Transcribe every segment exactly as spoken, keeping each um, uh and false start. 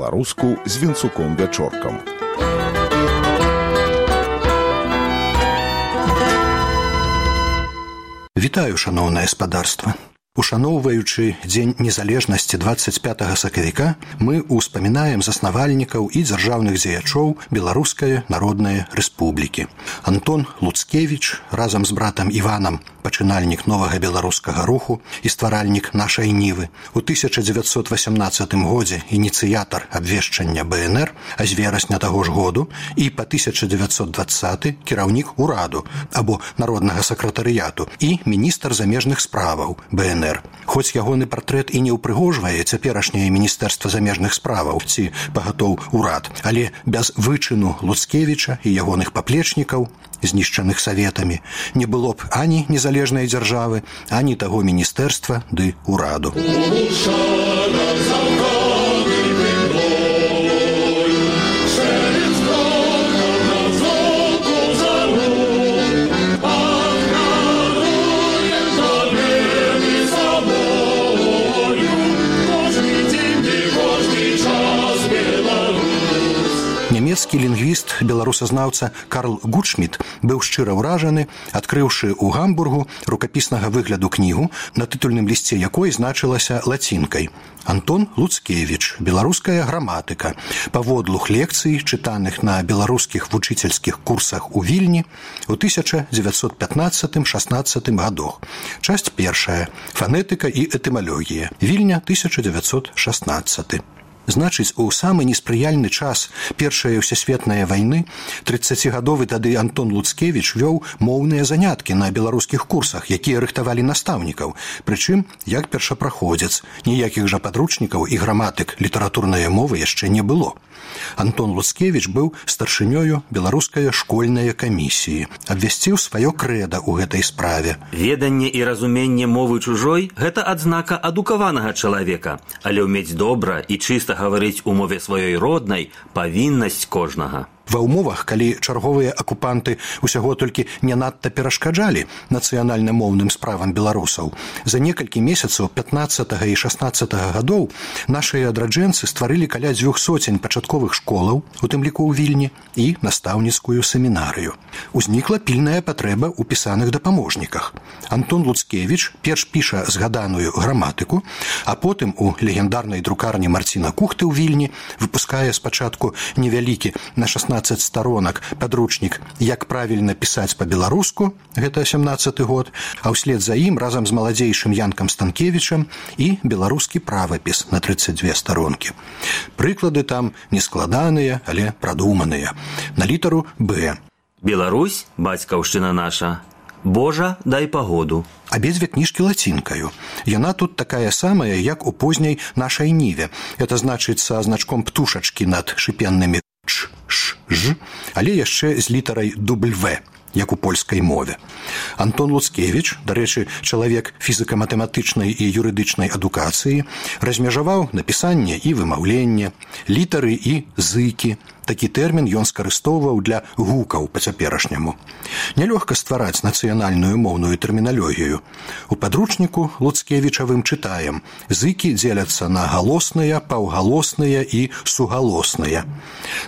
па-беларуску з Вінцуком Вячоркам. Вітаю, шаноўнае спадарства. Ушаноўваючы Дзень незалежнасці дваццаць пятага сакавіка, мы ўспамінаем заснавальнікаў і дзяржаўных дзеячоў Беларускай Народнай Рэспублікі. Антон Луцкевіч разам з братам Іванам, пачынальнік новага беларускага руху і стваральнік нашай Нівы, у тысяча дзевяцьсот васямнаццатым годзе ініцыятар абвешчання бэ эн эр, а з верасня таго ж году, і па тысяча дзевяцьсот дваццаты кіраўнік ураду або народнага сакратарыяту і міністр замежных справаў бэ эн эр. Хоць ягоны партрэт і не ўпрыгожвае цяперашняе міністэрства замежных справаў ці пагатоў урад, але без вычыну Луцкевіча і ягоных паплечнікаў, знішчаных саветамі, не было б ані незалежнай дзяржавы, ані таго міністэрства ды ураду. Нямецкі лінгвіст, беларусазнаўца Карл Гутшміт быў шчыра ўражаны, адкрыўшы ў Гамбургу рукапіснага выгляду кнігу, на тытульным лісце якой значылася лацінкай «Антон Луцкевіч. Беларуская граматыка. Паводлух лекцый, чытаных на беларускіх вучыцельскіх курсах у Вільні ў тысяча дзевяцьсот пятнаццатым шаснаццатым гадах. Часць першая. Фанетыка і этымалогія. Вільня, тысяча дзевяцьсот шаснаццаты. Значыць, у самы неспрыяльны час Першай усесветнай вайны трыццацігадовы тады Антон Луцкевіч вёў моўныя заняткі на беларускіх курсах, якія рыхтавалі настаўнікаў, прычым як першапраходзец. Ніякіх жа падручнікаў і граматык літаратурнай мовы яшчэ не было. Антон Луцкевіч быў старшынёю беларускай школьнай камісіі, абвясціў сваё крэда ў гэтай справе. Веданне і разуменне мовы чужой – гэта адзнака адукаванага чалавека, але ўмець добра і чыста гаварыць у мове сваёй роднай – павіннасць кожнага. Ва ўмовах, калі чарговыя акупанты ўсяго толькі не надта перашкаджалі нацыянальна-моўным справам беларусаў, за некалькі месяцаў пятнаццатага і шаснаццатага гадоў нашыя адраджэнцы стварылі каля дзвюх соцень пачатковых школаў, у тым ліку ў Вільні, і настаўніцкую семінарыю. Узнікла пільная патрэба ў пісаных дапаможніках. Антон Луцкевіч перш піша згаданую граматыку, а потым у легендарнай друкарні Марціна Кухты ў Вільні выпускае спачатку невялікі на шаснаццаць старонак падручнік «Як правільна пісаць па-беларуску», гэта сямнаццаты год, а ўслед за ім разам з маладзейшым Янкам Станкевічам і беларускі правапіс на трыццаць дзве старонкі. Прыклады там нескладаныя, але прадуманыя. На літару «Б». Беларусь, бацькаўшчына наша. Божа, дай пагоду. Абедзве кніжкі лацінкаю. Яна тут такая самая, як у позняй нашай Ніве. Это значыць са значком птушачкі над шыпеннымі «ч», «ш», «ж», але яшчэ з літарай «W», як у польскай мове. Антон Луцкевіч, дарэчы, чалавек фізіка-матэматычнай і юрыдычнай адукацыі, размежаваў напісанне і вымаўленне, літары і зыкі. Такі тэрмін ён скарыстоўваў для гукаў па-цяперашняму. Нялёгка ствараць нацыянальную моўную тэрміналогію. У падручніку Луцкевічавым чытаем: зыкі дзеляцца на галосныя, паўгалосныя і сугалосныя.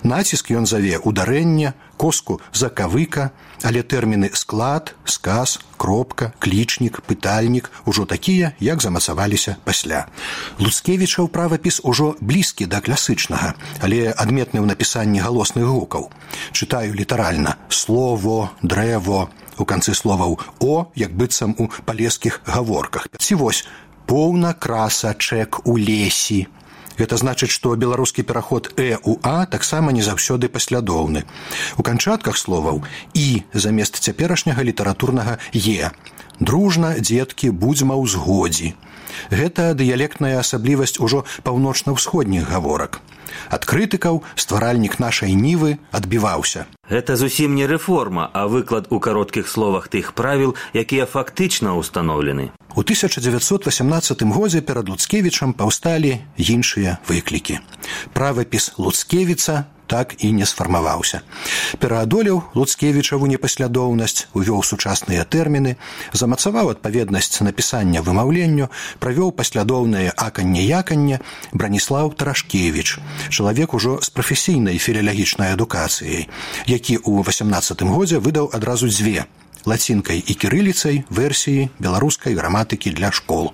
Націск ён заве ударэнне, коску закавыка, але тэрміны склад, сказ, кропка, клічнік, пытальнік ужо такія, як замацаваліся пасля. Луцкевічаў правапіс ужо блізкі да класычнага, але адметны ў напісанні галосных гукаў. Чытаю літаральна: слово, дрэво, у канцы словаў «о», як быццам у палескіх гаворках. Ці вось «поўна красачэк у лесі». Гэта значыць, што беларускі пераход «э» у «а» таксама не заўсёды паслядоўны. У канчатках словаў «і» замест цяперашняга літаратурнага «е». Дружна, дзеткі, будзьма ў згодзі. Гэта дыялектная асаблівасць ужо паўночна-ўсходніх гаворак. Ад крытыкаў стваральнік нашай Нівы адбіваўся. Гэта зусім не рэформа, а выклад у кароткіх словах тых правіл, якія фактычна ўстаноўлены. У тысяча дзевяцьсот васямнаццатым годзе перад Луцкевічам паўсталі іншыя выклікі. Правапіс Луцкевіца так і не сфармаваўся. Пераадолеў Луцкевічаву непаслядоўнасць, увёў сучасныя тэрміны, замацаваў адпаведнасць напісання вымаўленню, правёў паслядоўнае аканне-яканне Браніслаў Тарашкевіч, чалавек ужо з прафесійнай філалагічнай адукацыяй, які ў васямнаццатым годзе выдаў адразу дзве лацінкай і кірыліцай версіі беларускай граматыкі для школ.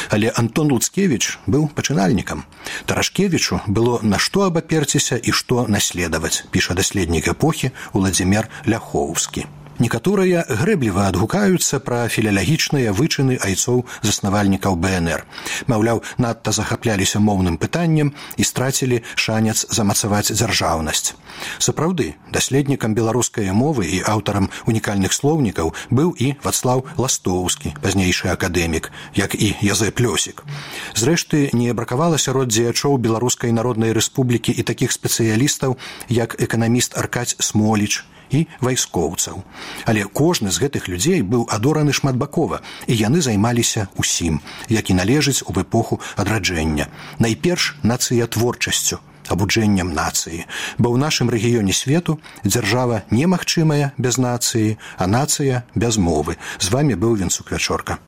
Але Антон Луцкевіч быў пачынальнікам. Тарашкевічу было на што абаперціся і што наследаваць, піша даследнік эпохі Уладзімір Ляхоўскі. Некаторыя грэбліва адгукаюцца пра філалагічныя вычыны айцоў-заснавальнікаў бэ эн эр. Маўляў, надта захапляліся моўным пытаннем і страцілі шанец замацаваць дзяржаўнасць. Сапраўды, даследнікам беларускай мовы і аўтарам унікальных слоўнікаў быў і Вацлаў Ластоўскі, пазнейшы акадэмік, як і Язэп Лёсік. Зрэшты, не бракавала сярод дзеячоў Беларускай народнай рэспублікі і такіх спецыялістаў, як эканаміст Аркадзь Смоліч і вайскоўцаў. Але кожны з гэтых людзей быў адораны шматбакова, і яны займаліся усім, як і належыць у эпоху адраджэння. Найперш нацыятворчасцю, абуджэннем нацыі, бо ў нашым рэгіёне свету дзяржава немагчымая без нацыі, а нацыя без мовы. З вамі быў Венцук Вячорка.